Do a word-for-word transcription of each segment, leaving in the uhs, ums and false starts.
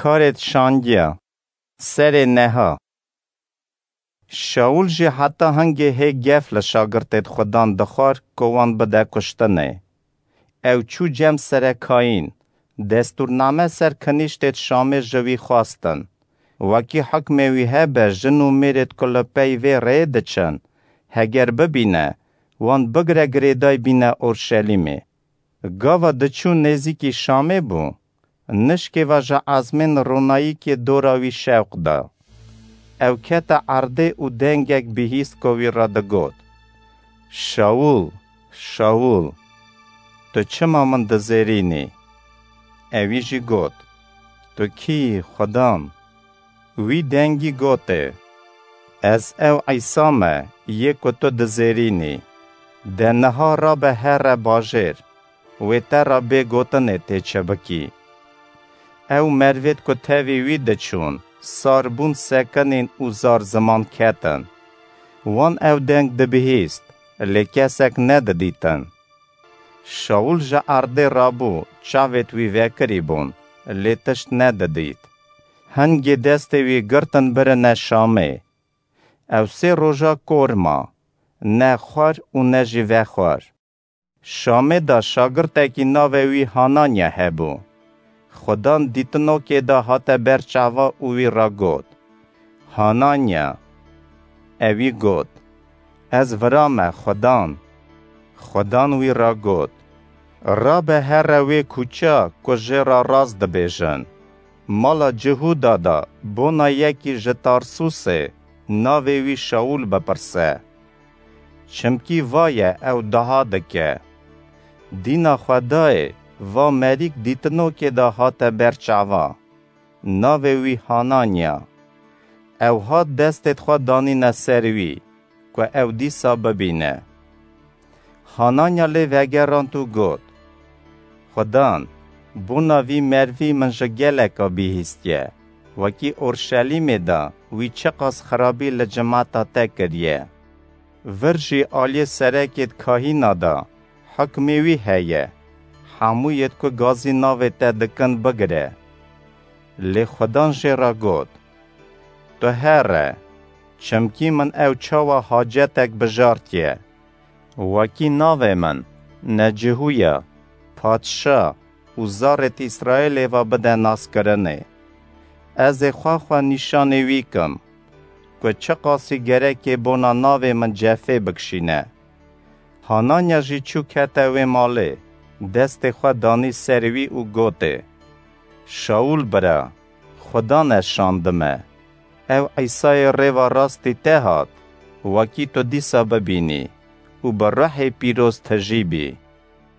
Karêt şandiya. Serê neha. Şaûl jî heta hingê hê gef li şagirtêd Xudan dixwar ku wan bide kuştinê. Ew çû cem serekayîn, destûrname ser kinîştêd Şamê ji wî xwestin. Wekî hukmê wî hebe jin û mêrêd ku li pey vê rêyê diçin, heger bibîne, wan bigire girêday bîne Orşelîmê. Gava diçû nêzîkî Şamê bû, nişkê ve ji ezmên ronayîkê dora wî şewq da. Ew kete erdê û dengek bihîst ku wî re digot, "Şaûl, Şaûl, tu çima min dizêrînî?" Ewî jî got, "Tu kî yî, Xudan?" Wî dengî gotê, "Ez ew Îsa me, yê ku tu dizêrînî. De niha rabe here bajêr, wê te re bê gotinê tê çi bikî." Ew mervêd ku tevî wî diçûn, sar bûn, sekinîn û zar ziman ketin. Wan ew deng dibihîst, lê kesek nedidîtin. Şaûl ji erdê rabû, çavêd wî vekirî bûn, lê tişt nedidît. Hingê destê wî girtin birine Şamê. Ew sê roja kor ma, ne xwar û ne jî vexwar. Şamê de şagirtekî navê wî Hananya hebû. Xudan dîtinokê de hate ber çava û wî re got, "Hananya." Ewî got, "Ez vira me, Xudan." Xudan wî re got, "Rabe here wê kuça ku jê re rast dibêjin. Mala Cihûda de bona yekî ji Tarsûsê, navê wî Şaûl bipirse. Çimkî va ye ew dua dike. Dîna Xwedayê va merîk dîtinokê de hate ber çava. Navê wî Hananya. Ew hat destêd xwe danîne ser wî, ku ew dîsa bibîne." Hananya lê vegerand û got, "Xudan, bona vî mervî min ji geleka bihîstiye, wekî Orşelîmê de wî çiqas xirabî li cimata te kiriye. Vir jî aliyê serekêd kahîna de hukmê wî heye, hemûyêd ku gazî navê te dikin bigire. Lê Xudan jê re got, 'Tu here, çimkî min ew çawa hacetek bijartiye. Wekî navê min ne Cihûya, padşa û zarêd Îsraîlê ve bide naskirinê. Ez ê xwe xwe nîşanê wî kim, ku çiqasî gerekê bona navê min cefê bikişîne.'" Hananya jî çû kete wê malê, destê xwe danî ser wî û gotê, "Şaûl bira, Xudan ez şandime. Ew Îsayê rêva rastî te hat, wekî tu dîsa bibînî û bi ruhê pîroz tijî bî."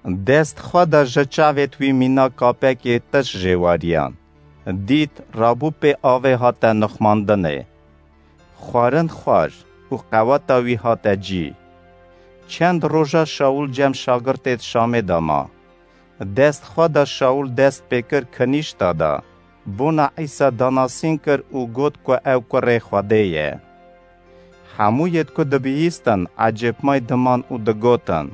Dest xwe da ji çavêd wî mîna kapekê tişt jê weriyan. Dît rabû pê avê hate nixmandinê. Xwarin xwar û qeweta wî hate cî. Çend roja Şaûl cem şagirtêd Şamê de ma. Dest xwe da Şaûl dest pê kir kinîşta de, bona Îsa danasîn kir û got ku ew kurê Xwedê ye. Hemûyêd ku dibihîstin ecêbmay diman û digotin,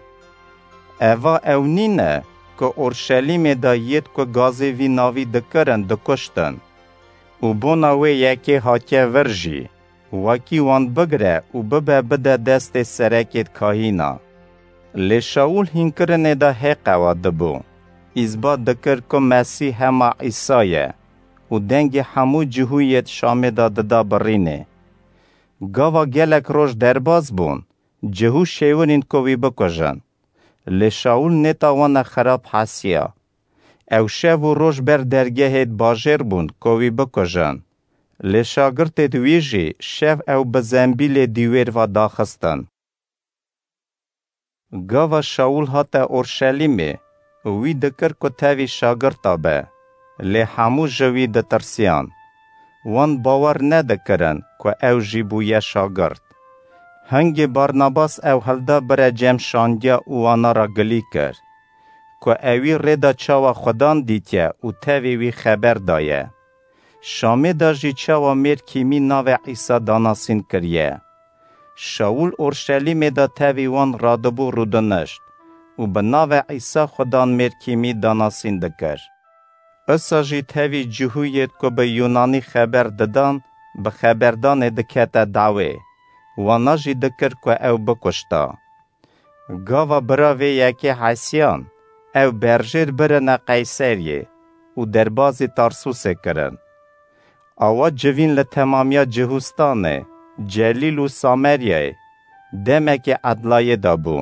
"Eva ew nîne ku Orşelîmê de yêd ku gazê vî navî dikirin dikuştin û bona wê yekê hatiye vir jî, wekî wan bigire û bibe bide destê serekêd kahîna?" Lê Şaûl hînkirinê de hê qewa dibû. Îsbat dikir ku Mesîh hema Îsa ye û dengê hemû cihûyêd Şamê de dida birînê. Gava gelek roj derbas bûn, cihû şêwirîn ku wî bikujin. Lê Şaûl nêta wana xirab hesiya. Ew şev û roj ber dergehêd bajêr bûn ku wî bikujin. Lê şagirtêd wî jî şev ew bi zembîlê dîwêr ve daxistin. Gava Şaûl hate Orşelîmê, wî dikir ku tevî şagirta be, lê hemû ji wî ditirsiyan. Wan bawer nedikirin ku ew jî bûye şagirt. Hingê Barnabas ew hilda bire cem şandiya û wana re gilî kir, ku ewî rê de çawa Xudan dîtiye û tevî wî xeber daye. Şamê de jî çawa mêr kîmî navê Îsa danasîn kiriye. Şaûl Orşelîmê de tevî wan radibû rûdinişt û bi navê Îsa Xudan mêr kîmî danasîn dikir. Usa jî tevî cihûyêd ku bi Yûnanî xeber didan, bi xeberdanê dikete dawê, wana jî dikir ku ew bikuşta. Gava bira vê yekê hesiyan, ew berjêr birine Qeyseriyê û derbazî Tarsûsê kirin. Awa civîn li temamiya Cihûstanê, Celîl û Sameryayê demekê edlayê de bû.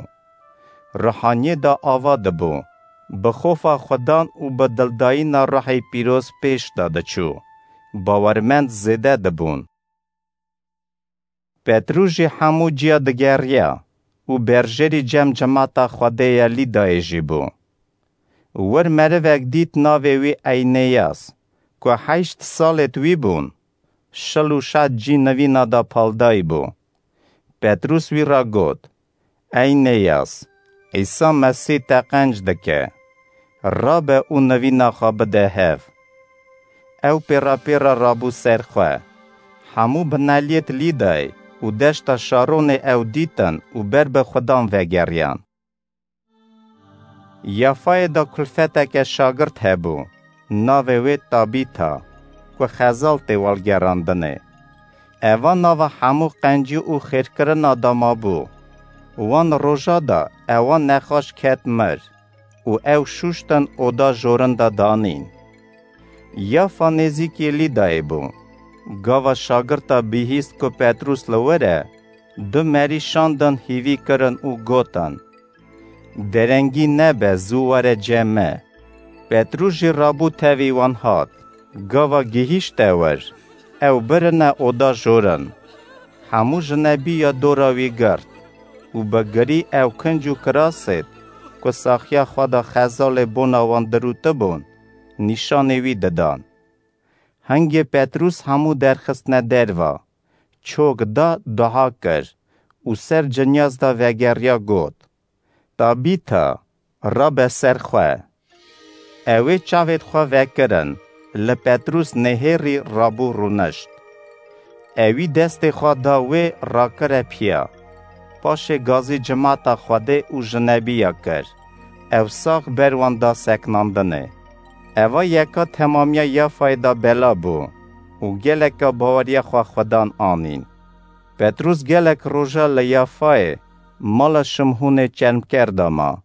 Ruhaniyê de ava dibû, bi xofa Xudan û bi dildayîna Ruhê Pîroz pêş de diçû, bawermend zêde dibûn. Petrûs jî hemû ciya digeriya û berjêrî cem cemata Xwedê ya Lîdayê jî bû. Wir merivek dît navê wî Eyneyas, ku heşt salêd wî bûn, şil û şet cî nivîna da paldayî bû. Petrûs wî ra got, Eyneyas, Îsa Mesîh te qenc dike. Rabe û nivîna xwe bide hev. Ew pêra pêra rabû ser xwe. Hemû bineliyêd Lîdayê û deşta Şaronê ew dîtin û ber bi Xudan vegeriyan. Yafayê de kulfeteke şagirt hebû, navê wê Tabîta, ku xezal tê walgerandinê. Eva nava hemû qencî û xêrkirina de mabû. Wan roja de ewa nexweş ket mir û ew şûştin oda jorin de danîn. Yafa nêzîkî Lîdayê bû. Gava şagirta bihîst ku Petrûs li wir e, du merî şandin hîvî kirin û gotin, Derengî nebe, zû were cem me. Petrûs jî rabû tevî wan hat. Gava gihîşte wir, ew birine oda jorin. Hemû jinebî ya dora wî girt û bi girî ew kinc û kirasêd ku saxiya xwe de xezalê bona wan dirûtibûn, nîşanê wî didan. Hingê Petrûs hemû derxistine derva, çok da, dua kir û ser cinyaz de vegeriya got, Tabîta, rabe ser xwe. Ewê çavêd xwe vekirin, li Petrûs nihêrî rabû rûnişt. Ewî destê xwe da wê, rakire piya. Paşê gazî cimata Xwedê û jinebiya kir. Ew sax ber wan da seknandinê. Eva yeka temamiya Yafayê da bela bû û geleka baweriya xwe Xudan anîn. Petrûs gelek roja li Yafayê mala Şimhûnê çermker de ma.